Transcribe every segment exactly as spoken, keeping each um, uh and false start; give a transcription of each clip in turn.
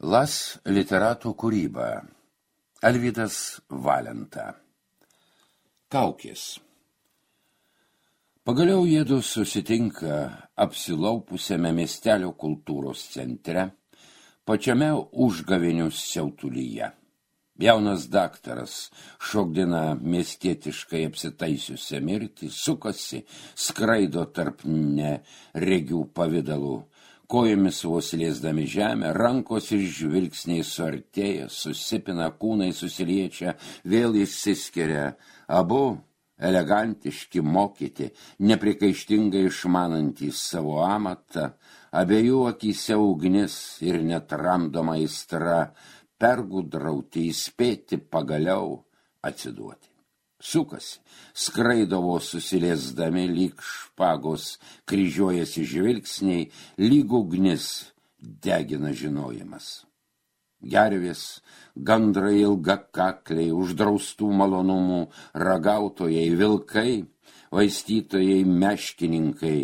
Las literatų kūryba. Alvydas Valenta. Kaukės. Pagaliau jiedu susitinka apsilaupusiame miestelio kultūros centre, pačiame užgavėnių siautulyje. Jaunas daktaras šokdina miestietiškai apsitaisiusią mirtį, sukasi, skraido tarp neregių pavidalų, kojomis vos liesdami žemę, rankos ir žvilgsniai suartėja, susipina, kūnai susiliečia, vėl išsiskiria, abu elegantiški, mokyti, neprikaištingai išmanantys savo amatą, abiejų akyse ugnis ir netramdoma aistra, pergudrauti, įspėti, pagaliau atsiduoti. Sukasi, skraido vos susiliesdami, lyg špagos kryžiuojasi žvilgsniai, lyg ugnis degina žinojimas. Gervės, gandrai ilgakakliai, uždraustų malonumų, ragautojai, vilkai, vaistytojai, meškininkai,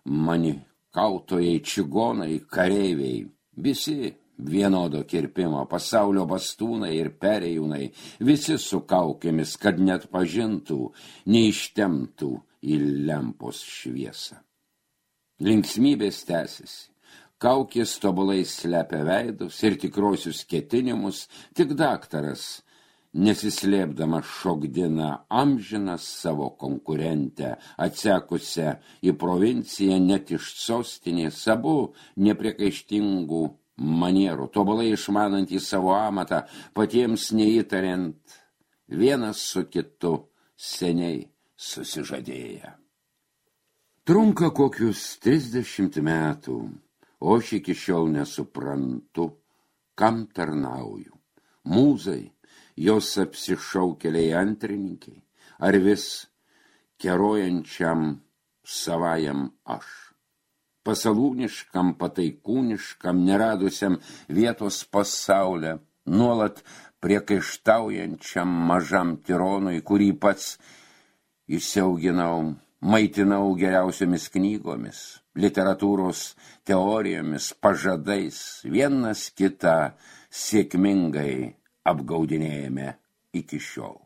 manikautojai, čigonai, kareiviai, visi vienodo kirpimo, pasaulio bastūnai ir perėjūnai, visi su kaukėmis, kad net pažintų, neištemtų į lempos šviesą. Linksmybės tęsiasi, kaukės tobulai slepia veidus ir tikrosius ketinimus, tik daktaras, nesislėpdama šokdina amžiną savo konkurentę, atsekusią į provinciją net iš sostinės, abu nepriekaištingų manierų, tobulai išmanantys savo amatą, patiems neįtariant, vienas su kitu seniai susižadėję. Trunka kokius trisdešimt metų, o aš iki šiol nesuprantu, kam tarnauju. Mūzai, jos apsišaukėliai antrininkai, ar vis kerojančiam savajam aš. Pasalūniškam, pataikūniškam, neradusiam vietos pasaulyje, nuolat priekaištaujančiam mažam tironui, kurį pats įsiauginau, maitinau geriausiomis knygomis, literatūros teorijomis, pažadais, vienas kitą sėkmingai apgaudinėjame iki šiol.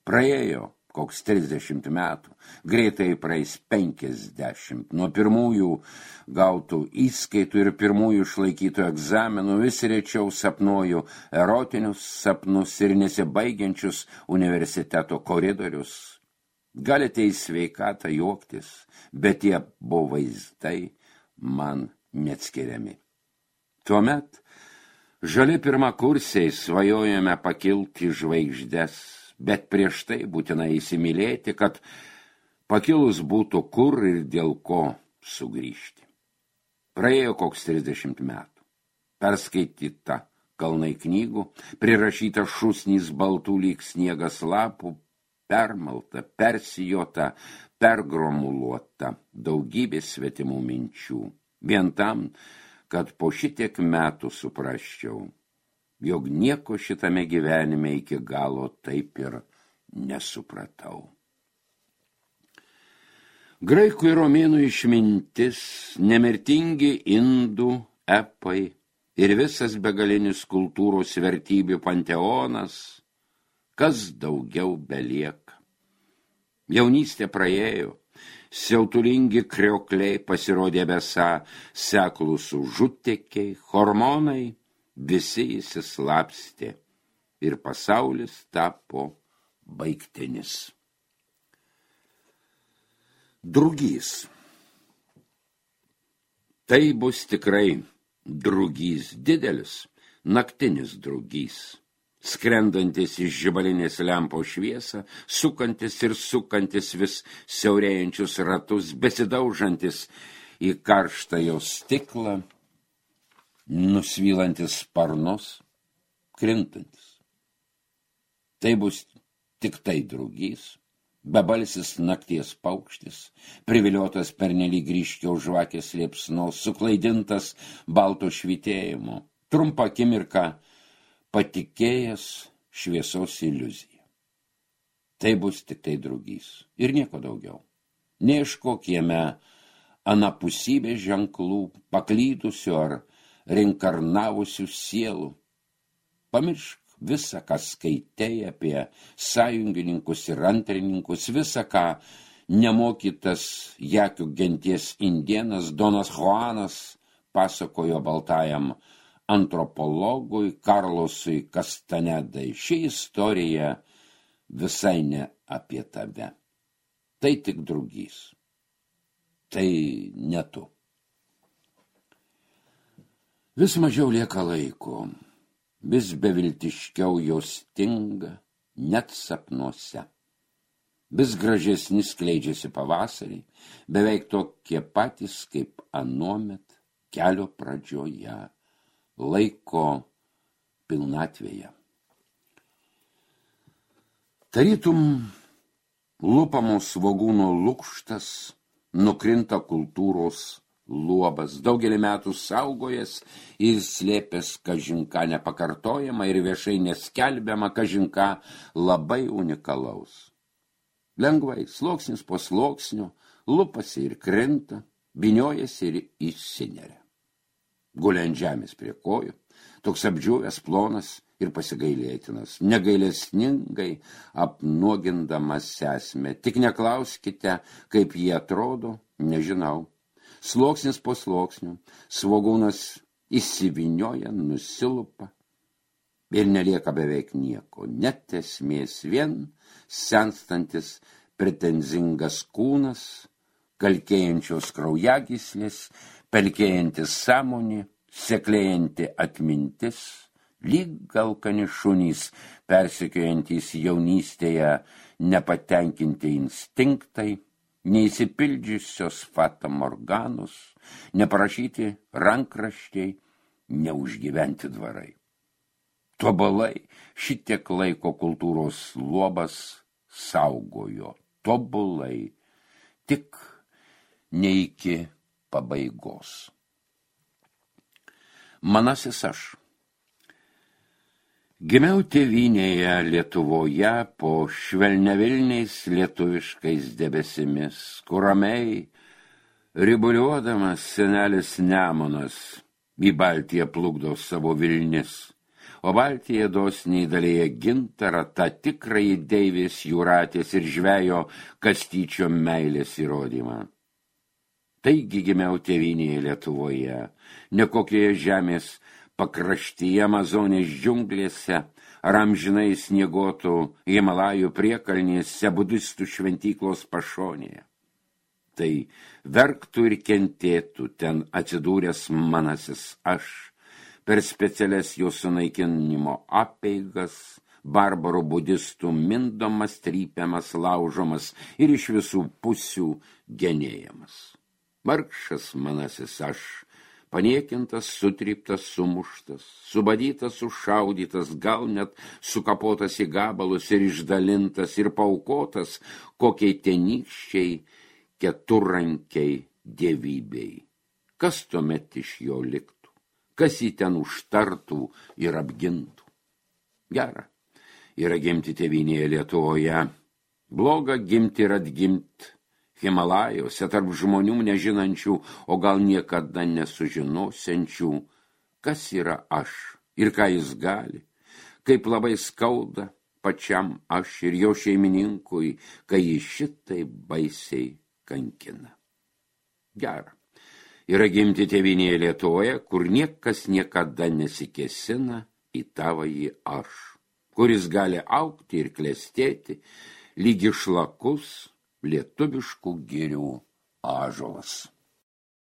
Praėjo koks trisdešimt metų, greitai praeis penkiasdešimt. Nuo pirmųjų gautų įskaitų ir pirmųjų išlaikytų egzaminų vis rečiau sapnuoju erotinius sapnus ir nesibaigiančius universiteto koridorius. Galite į sveikatą juoktis, bet tie buvo vaizdai man neatskiriami. Tuomet žali pirmakursiai svajojame pakilti žvaigždes, bet prieš tai būtina įsimylėti, kad pakilus būtų kur ir dėl ko sugrįžti. Praėjo koks trisdešimt metų. Perskaityta kalnai knygų, prirašyta šūsnys baltų lyg sniegas lapų, permalta, persijota, pergromuluota daugybė svetimų minčių. Vien tam, kad po šitiek metų suprasčiau, jog nieko šitame gyvenime iki galo taip ir nesupratau. Graikų ir romėnų išmintis, nemirtingi indų epai ir visas begalinis kultūros vertybių panteonas, kas daugiau belieka. Jaunystė praėjo, siautulingi kriokliai pasirodė besą seklūs užutėkiai, hormonai, visi įsislapstė ir pasaulis tapo baigtinis. Drugys. Tai bus tikrai drugys didelis, naktinis drugys, skrendantis iš žibalinės lempos šviesą, sukantis ir sukantis vis siaurėjančius ratus, besidaužantis į karštą jo stiklą, nusvylantis sparnus, krintantis. Tai bus tik tai drugys, bebalsis nakties paukštis, priviliotas pernelyg ryškio žvakės liepsnos, suklaidintas balto švytėjimo, trumpą akimirką patikėjęs šviesos iliuziją. Tai bus tik tai drugys ir nieko daugiau. Neieškok jame anapusybės ženklų, paklydusių ar reinkarnavusių sielų. Pamiršk visą, ką skaitei apie sąjungininkus ir antrininkus, visą, ką nemokytas jakių genties indėnas Donas Juanas pasakojo baltajam antropologui Karlosui Kastanedai. Ši istorija visai ne apie tave. Tai tik drugys. Tai ne tu. Vis mažiau lieka laiko. Vis beviltiškiau jos stinga, net sapnuose. Vis gražesni skleidžiasi pavasarį, beveik tokie patys kaip anuomet kelio pradžioje, laiko pilnatvėje. Tarytum lupamos svogūno lukštas, nukrinta kultūros luobas, daugelį metų saugojęs ir slėpęs kažinką nepakartojama ir viešai neskelbiama kažinką labai unikalaus. Lengvai, sluoksnis po sluoksnio, lupasi ir krinta, vyniojasi ir išsineria. Gulia ant žemės prie kojų, toks apdžiūvęs, plonas ir pasigailėtinas, negailestingai apnuogindamas esmę. Tik neklauskite, kaip jie atrodo, nežinau. Sluoksnis po sluoksnių, svogūnas įsivinioja, nusilupa ir nelieka beveik nieko. Net esmės, vien senstantis pretenzingas kūnas, kalkėjančios kraujagyslės, pelkėjantis sąmonė, seklėjanti atmintis, lyg alkani šunys, persekiojantys jaunystėje nepatenkinti instinktai, neįsipildžiusios fata morganus, neparašyti rankraščiai, neužgyventi dvarai. Tobulai šitiek laiko kultūros luobas saugojo, tobulai, tik ne iki pabaigos. Manasis aš. Gimiau tėvynėje Lietuvoje po švelniavilniais lietuviškais debesimis, kur ramiai ribuliuodamas senelis Nemunas į Baltiją plukdo savo vilnis, o Baltija dosniai dalyja gintarą, tą tikrąjį deivės jūratės ir žvejo Kastyčio meilės įrodymą. Taigi gimiau tėvynėje Lietuvoje, ne kokioje žemės pakraštyje Amazonės džiunglėse, ar amžinai sniegotų Himalajų priekalnėse, budistų šventyklos pašonėje. Tai verktų ir kentėtų ten atsidūręs manasis aš, per specialias jo sunaikinimo apeigas, barbarų budistų mindomas, trypiamas, laužomas ir iš visų pusių genėjamas. Vargšas manasis aš, paniekintas, sutryptas, sumuštas, subadytas, sušaudytas, gal net sukapotas į gabalus ir išdalintas ir paukotas kokiai tenykščiai keturrankiai dievybei. Kas tuomet iš jo liktų? Kas jį ten užtartų ir apgintų? Gera yra gimti tėvynėje Lietuvoje, bloga gimti ir atgimti Himalajose tarp žmonių nežinančių, o gal niekada nesužinosiančių, kas yra aš ir ką jis gali, kaip labai skauda pačiam aš ir jo šeimininkui, kai jis šitai baisiai kankina. Gera yra gimti tėvynėje Lietuvoje, kur niekas niekada nesikėsina į tavąjį aš, kuris gali augti ir klestėti, lyg išlakus lietuviškų girių ąžuolas.